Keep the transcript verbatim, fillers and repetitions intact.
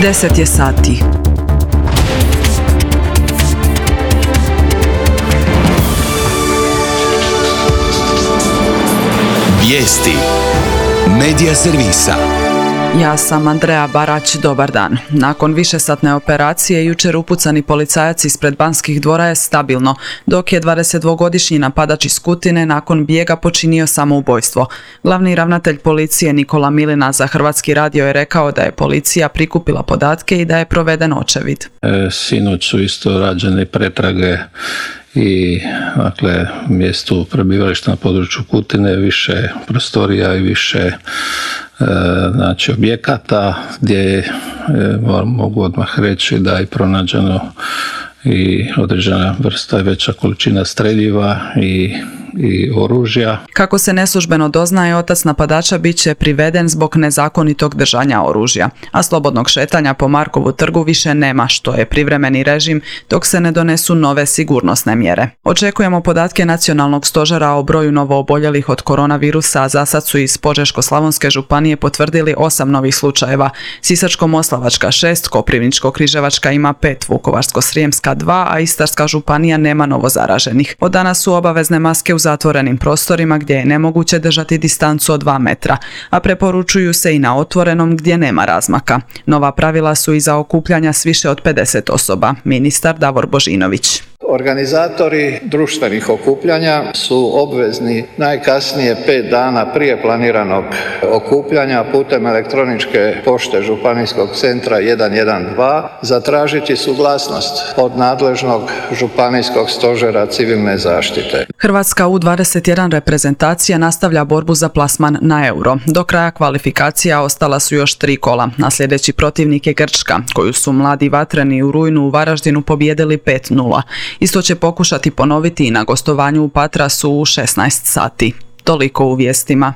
Deset je sati. Vijesti Medija servisa. Ja sam Andreja Barać, dobar dan. Nakon višesatne operacije, jučer upucani policajac ispred Banskih dvora je stabilno, dok je dvadesetdvogodišnji napadač iz Kutine nakon bijega počinio samoubojstvo. Glavni ravnatelj policije Nikola Milina za Hrvatski radio je rekao da je policija prikupila podatke i da je proveden očevid. E, sinoć su isto rađene pretrage i dakle, mjestu prebivališta na području Kutine, više prostorija i više e, znači, objekata gdje e, mogu odmah reći da je pronađeno i određena vrsta i veća količina streljiva i, i oružja. Kako se neslužbeno doznaje, otac napadača bit će priveden zbog nezakonitog držanja oružja, a slobodnog šetanja po Markovu trgu više nema, što je privremeni režim dok se ne donesu nove sigurnosne mjere. Očekujemo podatke Nacionalnog stožera o broju novooboljelih od koronavirusa, a za sad su iz Požeško-slavonske županije potvrdili osam novih slučajeva. Sisačko-moslavačka šest, Koprivničko-križevačka ima pet, Vukovarsko-srijemska dva, a Istarska županija nema novozaraženih. Od danas su obavezne maske u zatvorenim prostorima gdje je nemoguće držati distancu od dva metra, a preporučuju se i na otvorenom gdje nema razmaka. Nova pravila su i za okupljanja s više od pedeset osoba. Ministar Davor Božinović. Organizatori društvenih okupljanja su obvezni najkasnije pet dana prije planiranog okupljanja putem elektroničke pošte Županijskog centra jedan jedan dva zatražiti suglasnost od nadležnog Županijskog stožera civilne zaštite. Hrvatska U dvadeset jedan reprezentacija nastavlja borbu za plasman na Euro. Do kraja kvalifikacija ostala su još tri kola, a sljedeći protivnik je Grčka, koju su mladi vatreni u rujnu u Varaždinu pobijedili pet nula. Isto će pokušati ponoviti i na gostovanju u Patrasu u šesnaest sati. Toliko u vijestima.